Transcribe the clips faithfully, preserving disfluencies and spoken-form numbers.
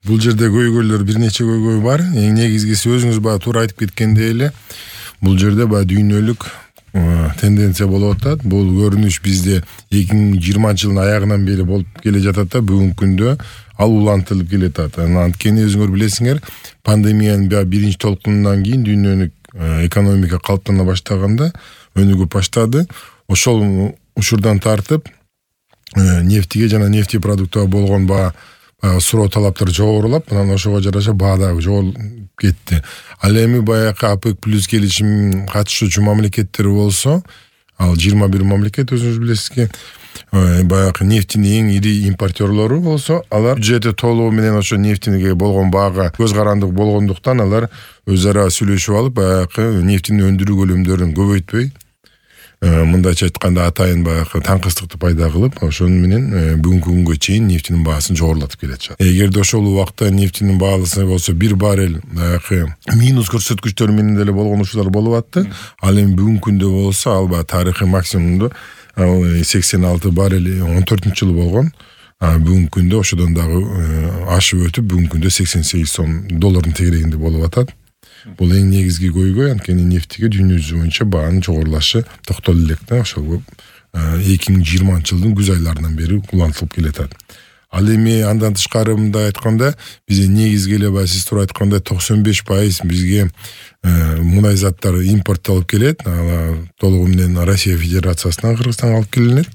Бул жерде көйгөйлөр бир нече көйгөй бар. Эң негизгиси өзүңүз баягы туура айтып кеткендей эле бул жерде баягы дүйнөлүк тенденция болуп атат. Бул көрүнүш бизде эки миң жыйырманчы жылдын аягынан бери болуп келе жатат да бүгүнкү күндө ал улантылып келатат. Анткени өзүңөр билесиңер, пандемиянын баягы биринчи толкунунан кийин дүйнөлүк экономика калыптана баштаганда өнүгүп баштады. Ошол учурдан тартып нефтиге жана нефтий продуктага болгон баа суроо талаптар жогорулап, анан ошого жараша баа дагы жогорулуп кетти. Ал эми баягы ОПЕК плюс келишим катышуучу мамлекеттер болсо, ал жыйырма бир мамлекет өзүңүз билесизги, баягы нефтинин эң ири импортерлору болсо, алар бюджети толугу менен ошо нефтиге болгон баага көз карандык болгондуктан алар өз ара сүйлөшүп алып, баягы нефтини өндүрүү көлөмдөрүн көбөйтпөй, мындайча айтканда атайын баягы таңкыстыкты пайда кылып, ошону менен бүгүнкү күнгө чейин нефтинин баасын жогорулатып келатышат. Эгерде ошол убакта нефтинин баасы болсо бир баррель баягы минус көрсөткүчтөр менен деле болгон учурлар болуп атты. Ал эми бүгүнкү күндө болсо ал баягы тарыхый максимумду сексен алты баррель он төртүнчү жылы болгон. Бүгүнкү күндө ошодон дагы ашып өтүп, бүгүнкү күндө сексен сегиз сом доллардын тегерегинде болуп атат. Бул эң негизги көйгөй, анткени нефтиге дүйнө жүзү боюнча баанын жогорулашы токтоло элек да, ошол эки миң жыйырманчы жылдын күз айларынан бери улантылып келатат. Ал эми андан тышкары мындай айтканда, бизде негизги эле баягы сиз туура айткандай токсон беш пайыз бизге мунай заттар импорттолуп келет. Ал толугу менен Россия Федерациясынан, Кыргызстанга алып келинет.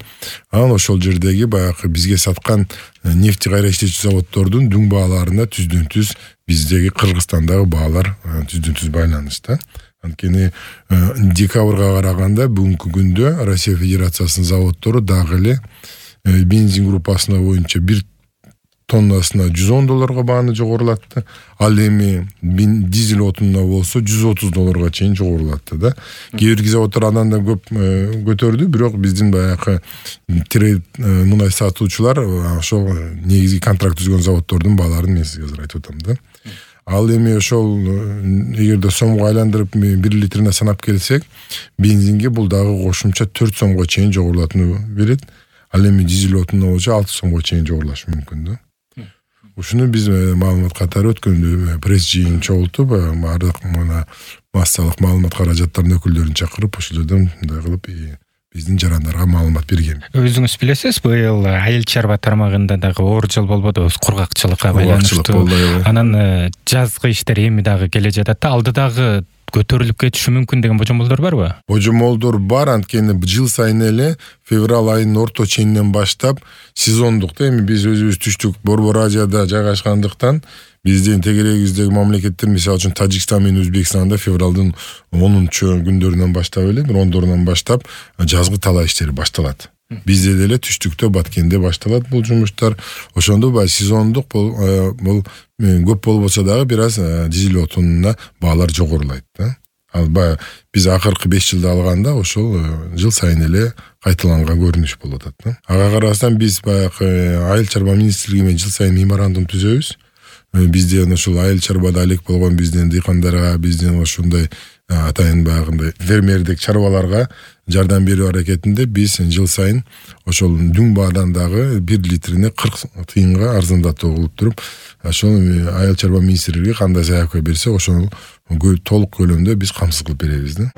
Анан ошол жердеги баягы бизге саткан нефти кайра иштечү заводдордун дүң бааларына түздөн түз биздеги Кыргызстандагы баалар түздөн түз байланышта. Анткени декабрга караганда бүгүнкү күндө Россия Федерациясынын заводдору дагы эле бензин группасына боюнча бир тоннасына жүз он долларга бааны жогорулатты. Ал эми дизель отунуна болсо жүз отуз долларга чейин жогорулатты да. Кээ бир заводдор андан да көп көтөрдү, бирок биздин баягы трейд мунай сатуучулар ошол негизги контракт түзгөн заводдордун бааларын мен сизге азыр айтып атам да. Ал эми ошол эгерде сомго айландырып бир литрине санап келсек, бензинге бул дагы кошумча төрт сомго чейин жогорулатууну берет. Ал эми дизель отунуна болсо алты сомго чейин жогорулашы мүмкүн да. Ушуну биз маалымат катары өткөндө пресс жыйын чогултуп, бардык мына массалык маалымат каражаттарынын өкүлдөрүн чакырып, ошол жерден мындай кылып биздин жарандарга маалымат берген. Өзүңүз билесиз, быйыл айыл чарба тармагында дагы оор жыл болбодубу, кургакчылыкка байланыштуу. Анан жазгы иштер эми дагы келе жатат да, алдыдагы көтөрүлүп кетиши мүмкүн деген божомолдор барбы? Божомолдор бар, анткени жыл сайын эле февраль айынын орто ченинен баштап сезондук да, эми биз өзүбүз түштүк Борбор Азияда жайгашкандыктан биздин тегерегибиздеги мамлекеттер, мисалы үчүн Тажикстан менен Өзбекстанда февралдын онунчу күндөрүнөн баштап эле, бир ондорунан баштап жазгы талаа иштери башталат. Бизде деле түштүктө, Баткенде башталат бул жумуштар. Ошондо баягы сезондук бул көп болбосо дагы бир аз дизель отунуна баалар жогорулайт да. Ал баягы биз акыркы беш жылда алганда ошол жыл сайын эле кайталанган көрүнүш болуп атат да. Ага карабастан биз баягы айыл чарба министрлиги менен жыл сайын меморандум түзөбүз. Бизден ошол айыл чарбада алек болгон биздин дыйкандарга, биздин ошондой атайын баягындай фермердик чарбаларга жардам берүү аракетинде биз жыл сайын ошол дүң баадан дагы бир литрине кырк тыйынга арзандатуу кылып туруп, ошол айыл чарба министрлиги кандай заявка берсе, ошол толук көлөмдө биз камсыз кылып беребиз да.